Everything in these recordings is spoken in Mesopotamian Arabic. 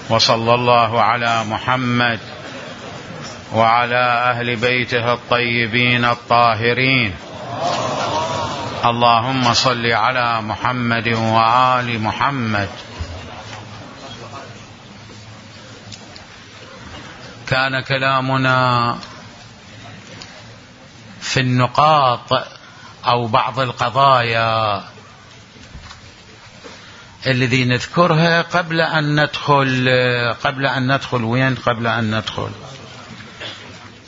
وصلى الله على محمد وعلى أهل بيته الطيبين الطاهرين. اللهم صل على محمد وآل محمد. كان كلامنا في النقاط أو بعض القضايا الذي نذكرها قبل أن ندخل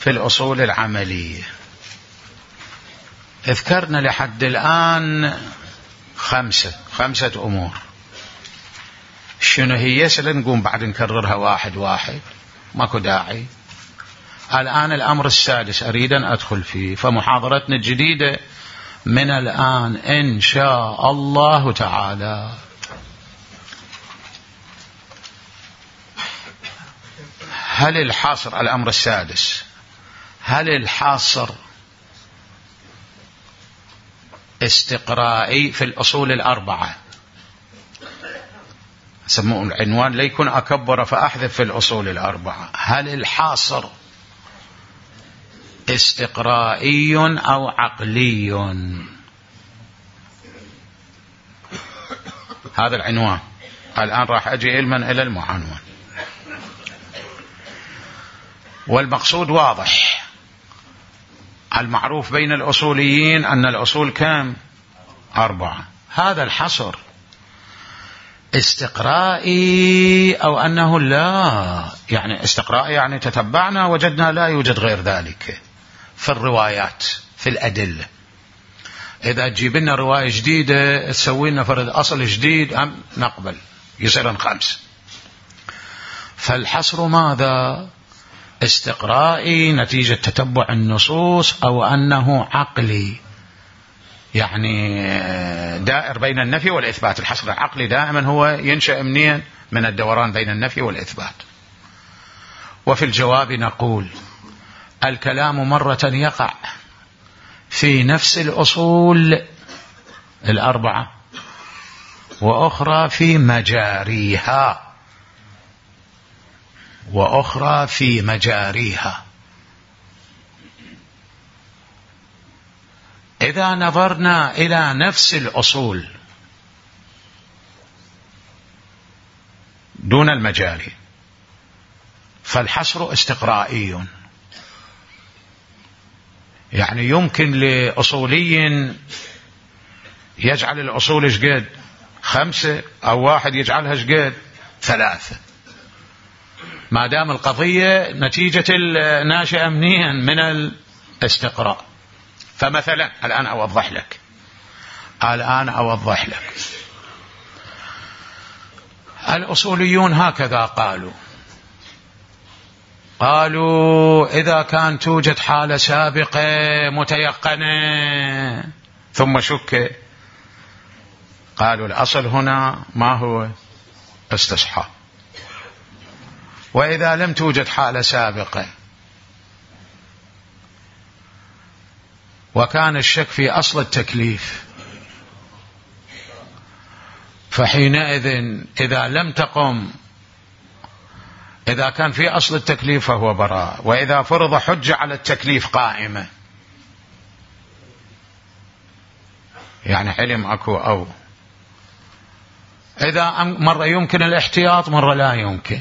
في الأصول العملية. ذكرنا لحد الآن خمسة أمور. شنو هي؟ سنقوم بعد نكررها واحد واحد، ماكو داعي. الآن الأمر السادس أريد أن أدخل فيه، فمحاضرتنا الجديدة من الآن إن شاء الله تعالى. هل الحصر، الأمر السادس، هل الحصر استقرائي في الأصول الأربعة؟ سموه العنوان ليكون أكبر فأحذف في الأصول الأربعة. هل الحصر استقرائي أو عقلي؟ هذا العنوان. الآن راح أجي علما إلى المعنون، والمقصود واضح. المعروف بين الأصوليين أن الأصول كم؟ 4. هذا الحصر استقرائي أو أنه لا، يعني استقرائي يعني تتبعنا وجدنا لا يوجد غير ذلك في الروايات في الأدلة. إذا تجيب لنا رواية جديدة تسوي لنا فرد أصل جديد أم نقبل، يصير 5. فالحصر ماذا؟ استقرائي نتيجة تتبع النصوص أو أنه عقلي، يعني دائر بين النفي والإثبات. الحصر العقلي دائما هو ينشأ منين؟ من الدوران بين النفي والإثبات. وفي الجواب نقول الكلام مرة يقع في نفس الأصول 4، وأخرى في مجاريها، إذا نظرنا إلى نفس الأصول دون المجاري فالحصر استقرائي. يعني يمكن لأصولي يجعل الأصول شقد 5، أو واحد يجعلها شقد 3، ما دام القضية نتيجة الناشئة منين؟ من الاستقراء. فمثلا الآن أوضح لك الأصوليون هكذا قالوا إذا كان توجد حالة سابقة متيقنة ثم شك، قالوا الأصل هنا ما هو؟ استصحاب. وإذا لم توجد حالة سابقة وكان الشك في أصل التكليف، فحينئذ إذا لم تقم، إذا كان في أصل التكليف فهو براء، وإذا فرض حجة على التكليف قائمة، يعني حلم أكو أو إذا مرة يمكن الاحتياط مرة لا يمكن.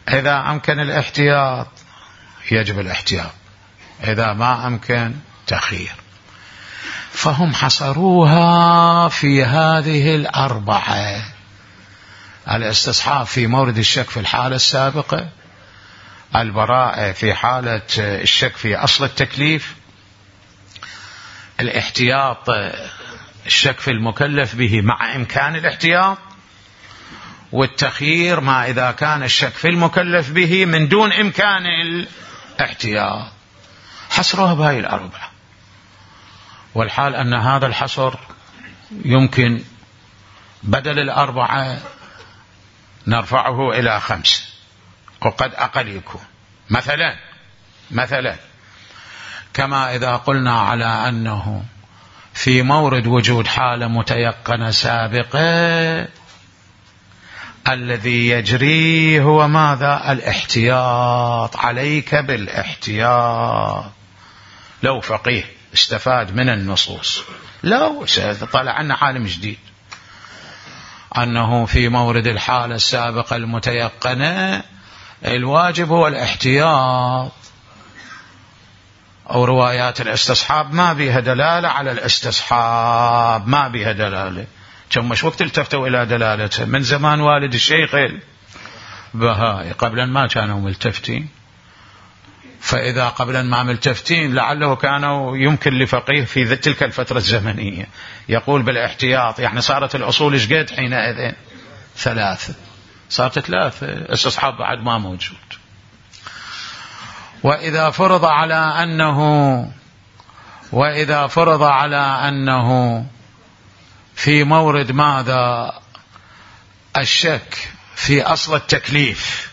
إذا أمكن الاحتياط يجب الاحتياط، إذا ما أمكن تخير. فهم حصروها في هذه 4: الاستصحاب في مورد الشك في الحالة السابقة، البراءة في حالة الشك في أصل التكليف، الاحتياط الشك في المكلف به مع إمكان الاحتياط، والتخيير ما إذا كان الشك في المكلف به من دون إمكان الاحتياط. حصرها بهاي 4، والحال أن هذا الحصر يمكن بدل 4 نرفعه إلى 5، وقد أقل يكون. مثلا كما إذا قلنا على أنه في مورد وجود حالة متيقنة سابقة الذي يجري هو ماذا؟ الاحتياط. عليك بالاحتياط. لو فقيه استفاد من النصوص، لو طلع عنا عالم جديد أنه في مورد الحالة السابقة المتيقنة الواجب هو الاحتياط، أو روايات الاستصحاب ما بها دلالة على الاستصحاب، ما بها دلالة، كم مش وقت التفتوا إلى دلالته من زمان والد الشيخ البهائي، قبلا ما كانوا ملتفتين، فإذا قبلا ما ملتفتين لعله كانوا يمكن لفقيه في تلك الفترة الزمنية يقول بالاحتياط، يعني صارت الأصول ايش حينئذ؟ 3، صارت 3، استصحاب بعد ما موجود. وإذا فرض على أنه في مورد ماذا؟ الشك في أصل التكليف،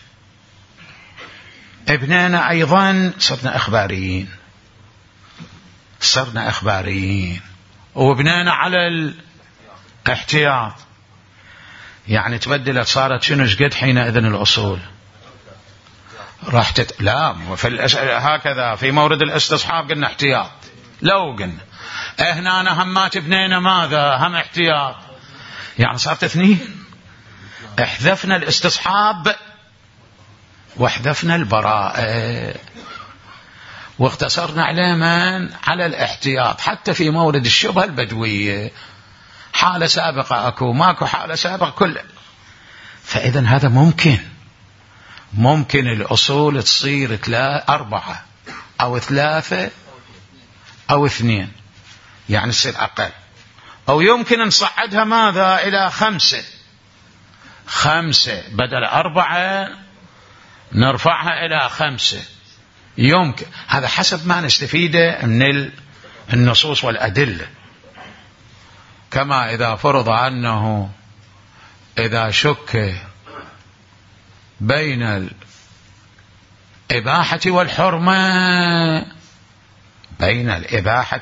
ابننا أيضا صرنا إخباريين وابننا على الاحتياط، يعني تبدلت صارت شنو شقد حينئذ الأصول راح لا هكذا في مورد الاستصحاب قلنا احتياط، لو قلنا هنا همات ابننا ماذا؟ هم احتياط، يعني صارت 2، احذفنا الاستصحاب واحذفنا البراءة واقتصرنا على من؟ على الاحتياط. حتى في مورد الشبهة البدوية حالة سابقة أكو ماكو حالة سابقة كله، فإذا هذا ممكن الأصول تصير 4 أو 3 أو 2، يعني تصير أقل، أو يمكن نصعدها ماذا؟ إلى 5 بدل 4 نرفعها إلى 5، يمكن. هذا حسب ما نستفيده من النصوص والأدلة. كما إذا فرض أنه إذا شك بين الإباحة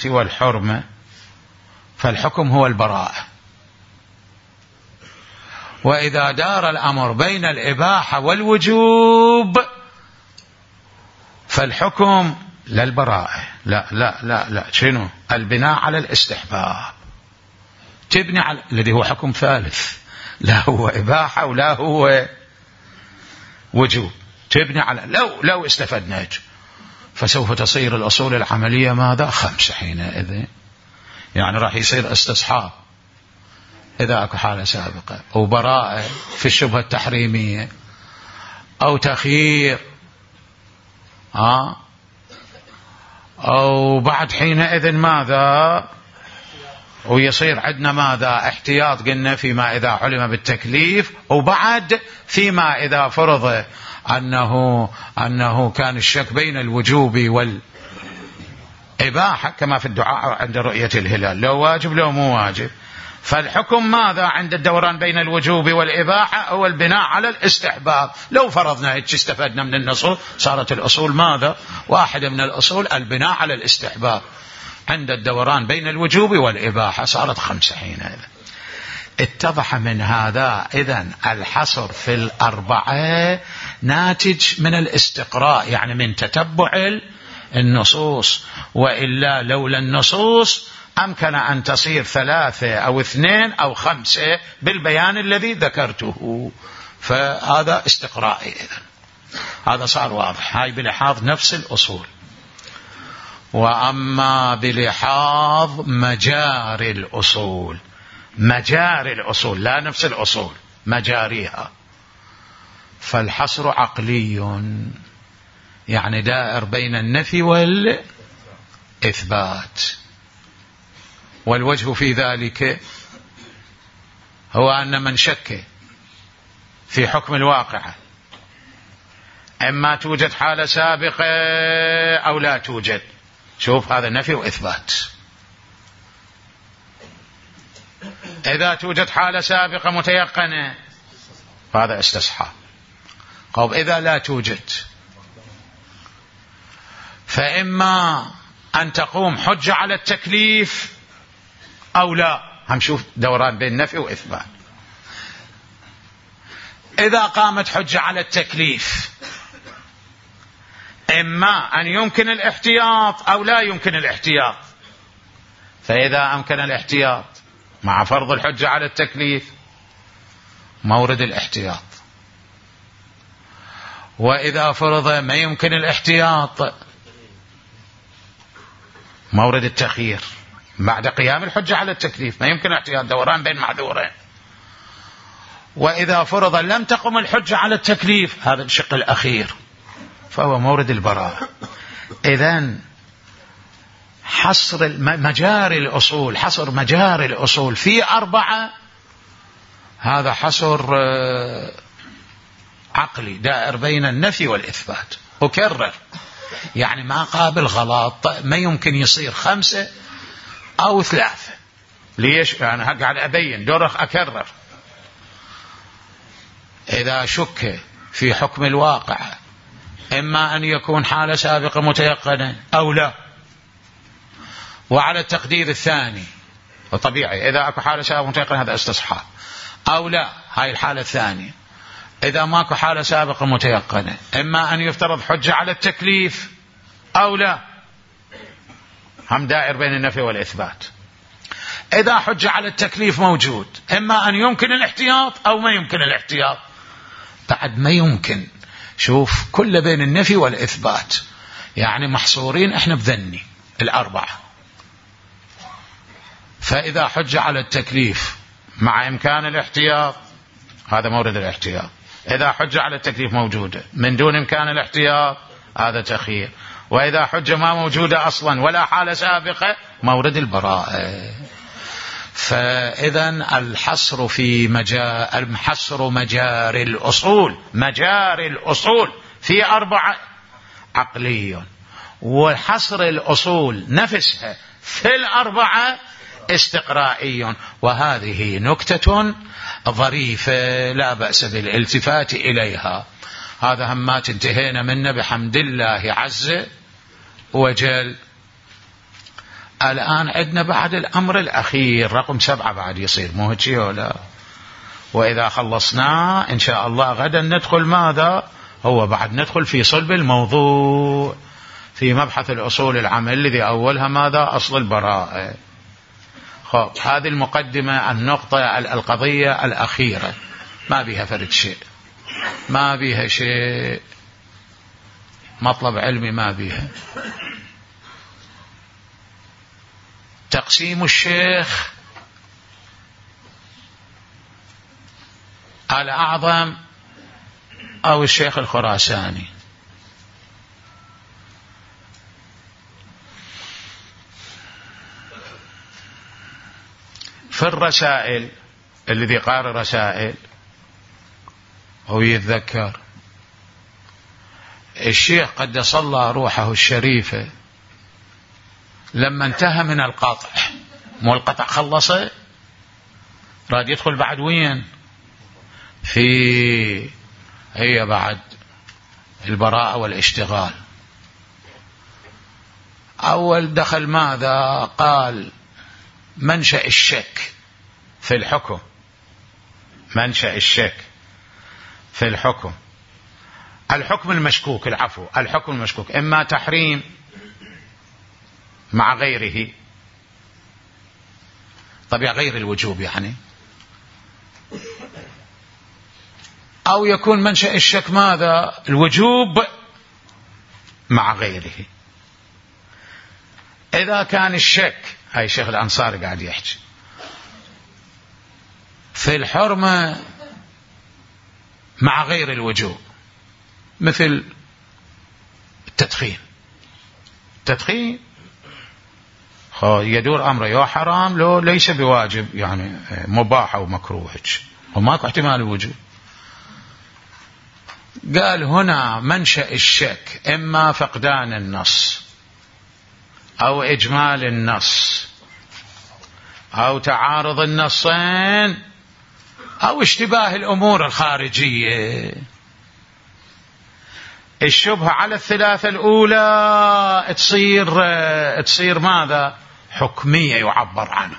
والحرمة فالحكم هو البراءة، وإذا دار الأمر بين الإباحة والوجوب فالحكم لا البراءة، لا شنو؟ البناء على الاستحباب، تبني على الذي هو حكم ثالث، لا هو إباحة ولا هو وجوب، تبني على لو استفدنا، فسوف تصير الأصول العملية ماذا؟ 5 حينئذ، يعني راح يصير استصحاب إذا أكو حالة سابقة، أو براءة في الشبهة التحريمية، أو تخيير، أو بعد حينئذ ماذا؟ ويصير عندنا ماذا؟ احتياط قلنا فيما إذا علم بالتكليف، وبعد فيما إذا فرض أنه كان الشك بين الوجوب والإباحة، كما في الدعاء عند رؤية الهلال، لو واجب لو مو واجب، فالحكم ماذا عند الدوران بين الوجوب والإباحة؟ هو البناء على الاستحباب. لو فرضنا هيك استفدنا من النصوص، صارت الأصول ماذا؟ واحدة من الأصول البناء على الاستحباب عند الدوران بين الوجوب والإباحة، صارت 5 حينئذ. اتضح من هذا إذن الحصر في 4 ناتج من الاستقراء، يعني من تتبع النصوص، وإلا لولا النصوص أمكن أن تصير 3 أو 2 أو 5 بالبيان الذي ذكرته، فهذا استقرائي إذن. هذا صار واضح، هاي بلحاظ نفس الأصول. وأما بلحاظ مجاري الأصول لا نفس الأصول، مجاريها، فالحصر عقلي، يعني دائر بين النفي والإثبات، والوجه في ذلك هو أن من شك في حكم الواقعة إما توجد حالة سابقة أو لا توجد، شوف هذا نفي وإثبات. إذا توجد حالة سابقة متيقنة فهذا استصحاب. قال إذا لا توجد فإما أن تقوم حجة على التكليف أو لا، هنشوف دوران بين نفي وإثبات. إذا قامت حجة على التكليف، إما أن يمكن الاحتياط أو لا يمكن الاحتياط. فإذا أمكن الاحتياط مع فرض الحجة على التكليف مورد الاحتياط، وإذا فرض ما يمكن الاحتياط مورد التخيير بعد قيام الحجة على التكليف. ما يمكن الاحتياط، دوران بين معذورين. وإذا فرض لم تقم الحجة على التكليف، هذا الشق الأخير، فهو مورد البراءة. إذن حصر مجاري الأصول، حصر مجاري الأصول في 4، هذا حصر عقلي دائر بين النفي والإثبات. أكرر، يعني ما قابل غلط، ما يمكن يصير 5 أو 3. ليش؟ يعني قاعد أبين دورك أكرر. إذا شك في حكم الواقع، إما أن يكون حالة سابقة متيقنة أو لا، وعلى التقدير الثاني وطبيعي إذا أكو حالة سابقة متيقنة هذا استصحاب أو لا، هاي الحالة الثانية. إذا ماكو حالة سابقة متيقنة، إما أن يفترض حجة على التكليف أو لا، هم دائر بين النفي والإثبات. إذا حجة على التكليف موجود، إما أن يمكن الاحتياط أو ما يمكن الاحتياط. بعد ما يمكن، شوف كل بين النفي والإثبات، يعني محصورين إحنا بذني 4. فإذا حجة على التكليف مع إمكان الاحتياط، هذا مورد الاحتياط. إذا حجة على التكليف موجودة من دون إمكان الاحتياط، هذا تخيير. وإذا حجة ما موجودة أصلا ولا حالة سابقة، مورد البراءة. فإذا الحصر في الحصر مجاري الأصول، مجاري الأصول في 4 عقلي، وحصر الأصول نفسها في 4 استقرائي. وهذه نكتة ظريفة لا بأس بالالتفات إليها. هذا همات انتهينا منه بحمد الله عز وجل. الآن عندنا بعد الأمر الأخير رقم 7 بعد يصير، مو هيك ولا؟ وإذا خلصنا إن شاء الله غدا ندخل ماذا؟ هو بعد ندخل في صلب الموضوع، في مبحث الأصول العامة الذي أولها ماذا؟ أصل البراءة. هذه المقدمة، النقطة القضية الأخيرة، ما بيها فرد شيء، ما بيها شيء، مطلب علمي ما بيها. تقسيم الشيخ الأعظم أو الشيخ الخراساني. في الرسائل، الذي قارئ رسائل هو يتذكر الشيخ قدس الله روحه الشريفة لما انتهى من القطع، مو القطع خلصه، راد يدخل بعد وين؟ هي بعد البراءة والاشتغال. أول دخل ماذا؟ قال منشأ الشك في الحكم، منشأ الشك في الحكم، الحكم المشكوك، العفو، الحكم المشكوك، إما تحريم مع غيره، طبيعة غير الوجوب يعني، أو يكون منشأ الشك ماذا؟ الوجوب مع غيره. إذا كان الشك، هاي شيخ الأنصاري قاعد يحكي في الحرمة مع غير الوجوب، مثل التدخين، التدخين يدور أمره يا حرام لو ليس بواجب، يعني مباح أو مكروه، وماكو احتمال الوجوب. قال هنا منشأ الشك إما فقدان النص أو إجمال النص أو تعارض النصين أو اشتباه الأمور الخارجية. الشبهة على الثلاثة الأولى تصير ماذا؟ حكمية يعبر عنه.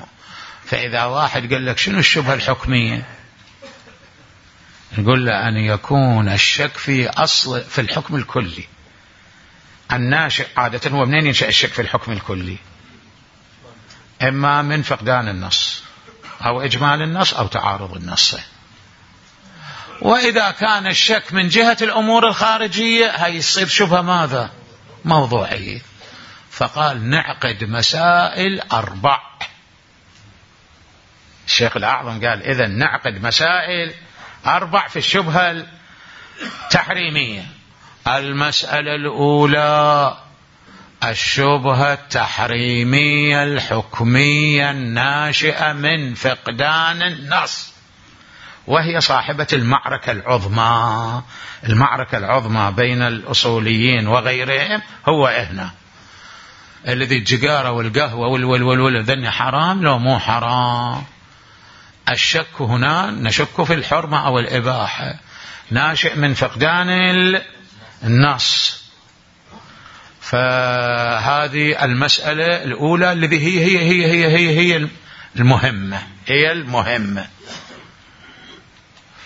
فإذا واحد قال لك شنو الشبهة الحكمية؟ نقول له أن يكون الشك في أصل في الحكم الكلي. الناشئ عادة هو منين ينشأ الشك في الحكم الكلي؟ إما من فقدان النص أو إجمال النص أو تعارض النص. وإذا كان الشك من جهة الأمور الخارجية هيصير شبهة ماذا؟ موضوعية. فقال نعقد مسائل 4. الشيخ الأعظم قال إذا نعقد مسائل 4 في الشبهة التحريمية. المسألة الأولى الشبهة التحريمية الحكمية الناشئة من فقدان النص، وهي صاحبة المعركة العظمى. المعركة العظمى بين الأصوليين وغيرهم هو هنا الذي الجقارة والقهوة والذن حرام لو مو حرام. الشك هنا نشك في الحرمة أو الإباحة، ناشئ من فقدان النص. فهذه المسألة الأولى التي هي المهمة.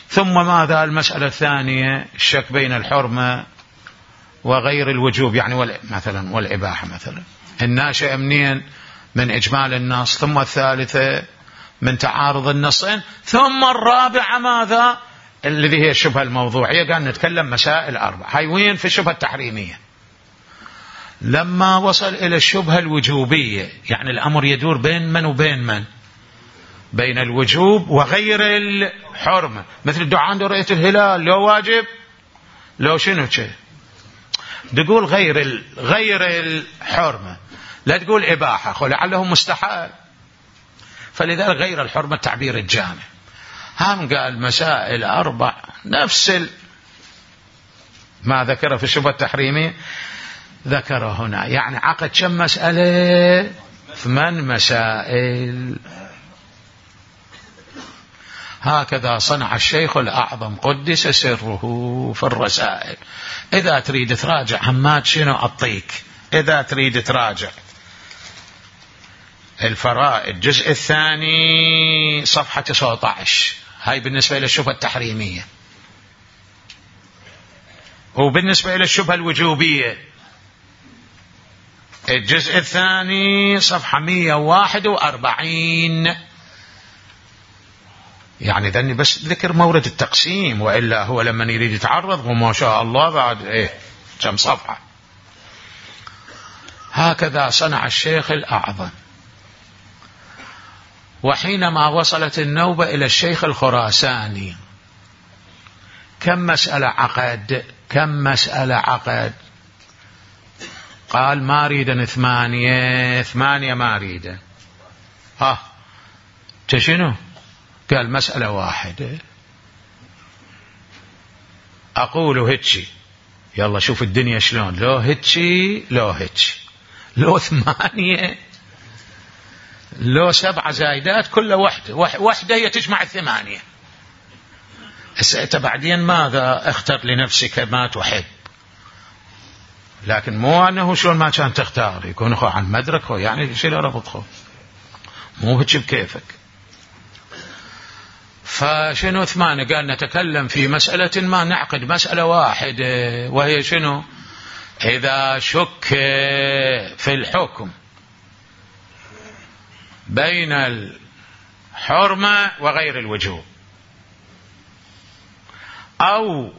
ثم ماذا؟ المسألة الثانية الشك بين الحرمة وغير الوجوب، يعني مثلا والإباحة مثلا، الناشئ منين؟ من إجمال النص. ثم الثالثة من تعارض النصين. ثم الرابعة ماذا؟ الذي هي الشبهة الموضوعية. قال نتكلم مسائل 4. هاي وين؟ في الشبهة التحريمية. لما وصل إلى الشبهة الوجوبية، يعني الأمر يدور بين من وبين من؟ بين الوجوب وغير الحرمة. مثل الدعاء عند رؤية الهلال لو واجب لو شنو شيء، تقول غير الحرمة، لا تقول إباحة لعله مستحيل. فلذلك غير الحرمة التعبير الجامع. هم قال مسائل 4 نفس ما ذكره في الشبهة التحريمية ذكره هنا. يعني عقد كم مسألة؟ 8 مسائل. هكذا صنع الشيخ الأعظم قدس سره في الرسائل. إذا تريد تراجع حماد شنو أعطيك؟ إذا تريد تراجع الفرائد الجزء الثاني صفحة 19، هاي بالنسبة إلى الشبهة التحريمية. وبالنسبة إلى الشبهة الوجوبية الجزء الثاني صفحة 141. يعني ذني بس ذكر مورد التقسيم، وإلا هو لما يريد يتعرض وما شاء الله بعد كم صفحة. هكذا صنع الشيخ الأعظم. وحينما وصلت النوبة إلى الشيخ الخراساني كم مسألة عقد؟ قال ما ريدا 8 ما ريدا. شنو؟ قال مسألة 1. أقول هتشي، يلا شوف الدنيا شلون، لو هتشي لو 8 لو 7 زايدات كل واحدة هي تجمع 8. أنت بعدين ماذا؟ اختر لنفسك ما تحب، لكن مو أنه شلون ما كان تختار، يكون أخو عن مدرك يعني شيء لا ربطه، مو هيك بكيفك. فشنو 8؟ قال نتكلم في مسألة ما، نعقد مسألة 1 وهي شنو؟ إذا شك في الحكم بين الحرمة وغير الوجوب، أو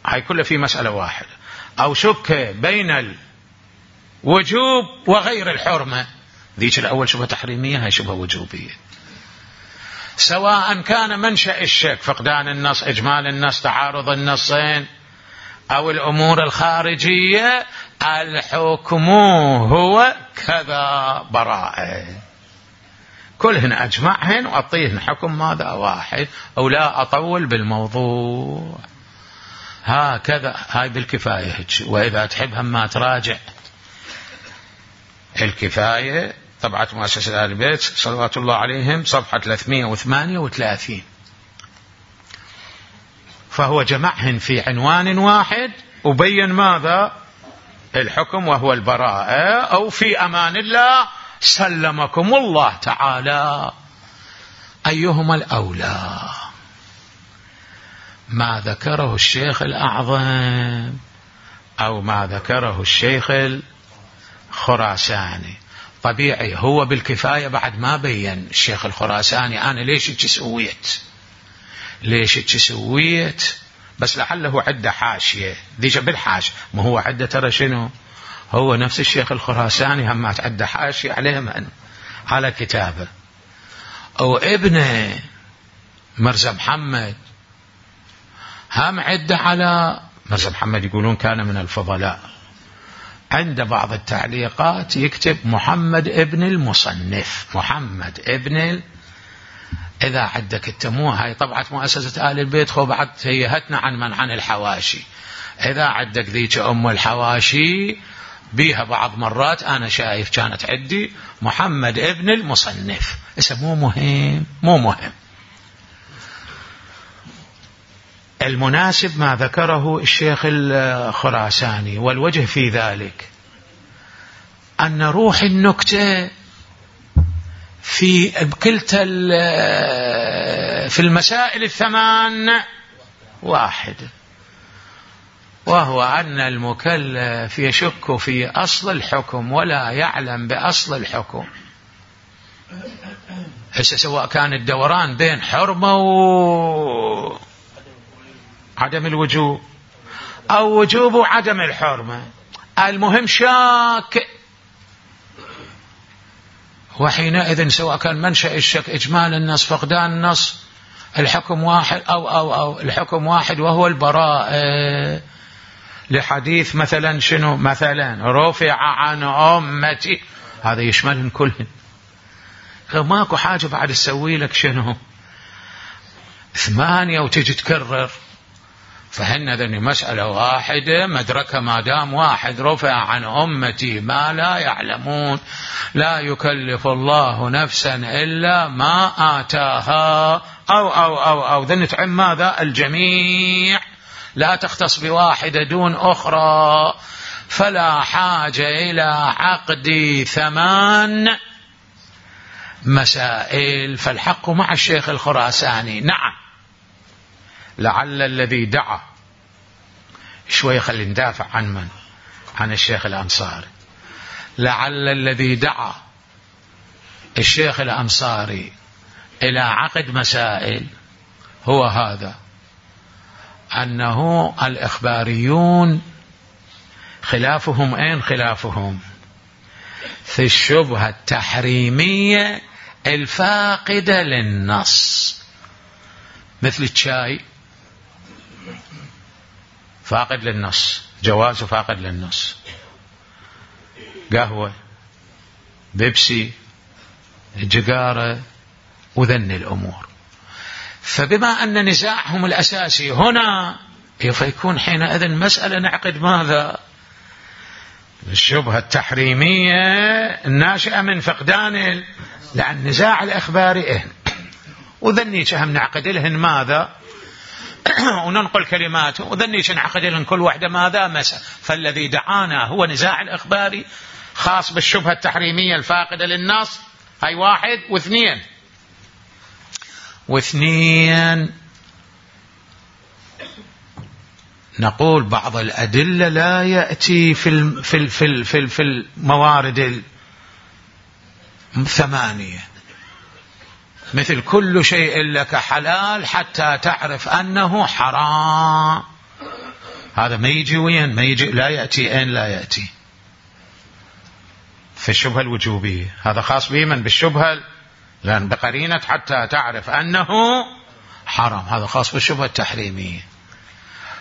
هاي كلها في مسألة 1، أو شك بين الوجوب وغير الحرمة، ذيك الأول شبهة تحريمية، هاي شبهة وجوبية. سواء كان منشأ الشك فقدان النص، إجمال النص، تعارض النصين، أو الأمور الخارجية، الحكم هو كذا براءة. كلهن أجمعهن وأعطيهن حكم ماذا؟ 1، أو لا أطول بالموضوع. هكذا هاي بالكفاية هيك. وإذا تحب هم ما تراجع الكفاية طبعة مؤسسة آل البيت صلوات الله عليهم صفحة 338، فهو جمعهن في عنوان واحد وبين ماذا؟ الحكم وهو البراءة، أو في أمان الله سلمكم الله تعالى. أيهما الأولى؟ ما ذكره الشيخ الأعظم أو ما ذكره الشيخ الخراساني. طبيعي هو بالكفاية بعد ما بين الشيخ الخراساني أنا ليش سويت بس لعله عدة حاشية ديش بالحاشية، ما هو عدة ترى شنو، هو نفس الشيخ الخراساني هم عدة حاشية عليه من على كتابه، أو ابنه مرزا محمد هم عدة على مرزا محمد، يقولون كان من الفضلاء. عند بعض التعليقات يكتب محمد ابن المصنف، محمد ابن إذا عندك التموه هاي طبعة مؤسسة آل البيت خو بعد هيهتنا عن الحواشي، إذا عندك ذيك أم الحواشي بيها بعض مرات أنا شايف كانت عندي محمد ابن المصنف، اسمه مو مهم. المناسب ما ذكره الشيخ الخراساني، والوجه في ذلك أن روح النكتة في كلتا في المسائل الثمان واحد، وهو أن المكلف يشك في أصل الحكم ولا يعلم بأصل الحكم. هسه سواء كان الدوران بين حرمة وعدم الوجوب أو وجوب وعدم الحرمة، المهم شاك، وحينئذ سواء كان منشأ الشك إجمال النص فقدان النص الحكم واحد أو الحكم واحد وهو البراءة. لحديث مثلا شنو، مثلا رفع عن أمتي، هذا يشملهم كلهم، ماكو حاجة بعد تسوي لك شنو 8 وتجي تكرر، فهن ذني مسألة واحدة مدركة ما دام واحد، رفع عن أمتي ما لا يعلمون، لا يكلف الله نفسا إلا ما آتاها أو ذن تعم ماذا الجميع، لا تختص بواحدة دون أخرى، فلا حاجة إلى عقد 8 مسائل. فالحق مع الشيخ الخراساني. نعم لعل الذي دعا شوي خلي ندافع عن الشيخ الأنصاري، لعل الذي دعا الشيخ الأنصاري إلى عقد مسائل هو هذا، أنه الإخباريون خلافهم خلافهم في الشبهة التحريمية الفاقدة للنص، مثل الشاي فاقد للنص، جوازه فاقد للنص، قهوة، بيبسي، جقارة، وذن الأمور. فبما أن نزاعهم الأساسي هنا فيكون حينئذ مسألة نعقد ماذا الشبهة التحريمية الناشئة من فقدان لأن نزاع الإخباري وذني هم نعقد لهن ماذا وننقل كلماته، وذني نعقد لهن كل واحدة ماذا مسألة. فالذي دعانا هو نزاع الإخباري خاص بالشبهة التحريمية الفاقدة للنص، هاي 1 و2 نقول بعض الأدلة لا يأتي في الموارد 8، مثل كل شيء لك حلال حتى تعرف أنه حرام، هذا ما يجي وين ما يجي، لا يأتي لا يأتي في الشبهة الوجوبية، هذا خاص بمن بالشبهة لأن بقرينة حتى تعرف أنه حرام، هذا خاص بالشبهة التحريمية.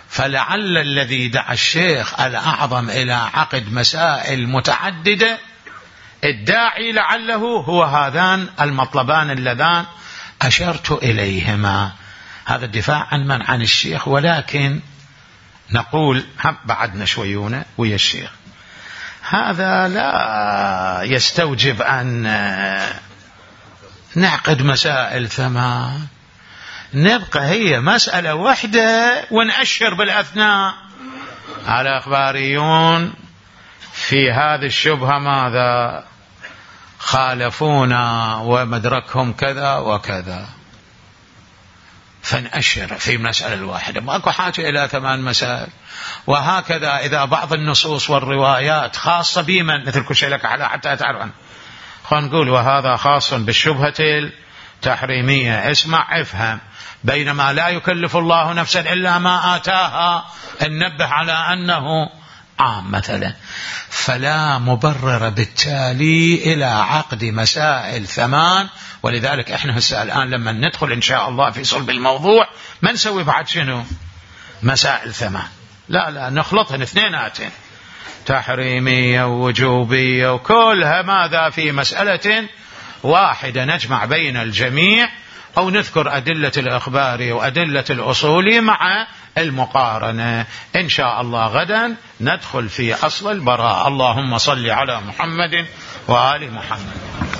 فلعل الذي دعا الشيخ الأعظم إلى عقد مسائل متعددة الداعي لعله هو هذان المطلبان اللذان أشرت إليهما. هذا الدفاع عن الشيخ، ولكن نقول بعدنا شويونه ويا الشيخ، هذا لا يستوجب أن نعقد مسائل 8، نبقى هي مسألة واحدة ونأشر بالأثناء على أخباريون في هذه الشبهة ماذا خالفونا ومدركهم كذا وكذا. فنأشر في مسألة الواحدة، ماكو حاجة إلى 8 مسائل. وهكذا إذا بعض النصوص والروايات خاصة بمن، مثل كل شيء لك على حتى تعرف عنه، خلينا نقول وهذا خاص بالشبهة التحريمية، اسمع افهم، بينما لا يكلف الله نفسا إلا ما آتاها، ننبه على أنه عام مثلا. فلا مبرر بالتالي إلى عقد مسائل 8. ولذلك احنا هسه الآن لما ندخل إن شاء الله في صلب الموضوع ما نسوي بعد شنو مسائل 8، لا نخلطهن اثنيناتين، تحريمية ووجوبية وكلها ماذا في مسألة واحدة، نجمع بين الجميع، أو نذكر أدلة الإخبار وأدلة الأصول مع المقارنة. إن شاء الله غدا ندخل في أصل البراءة. اللهم صل على محمد وآل محمد.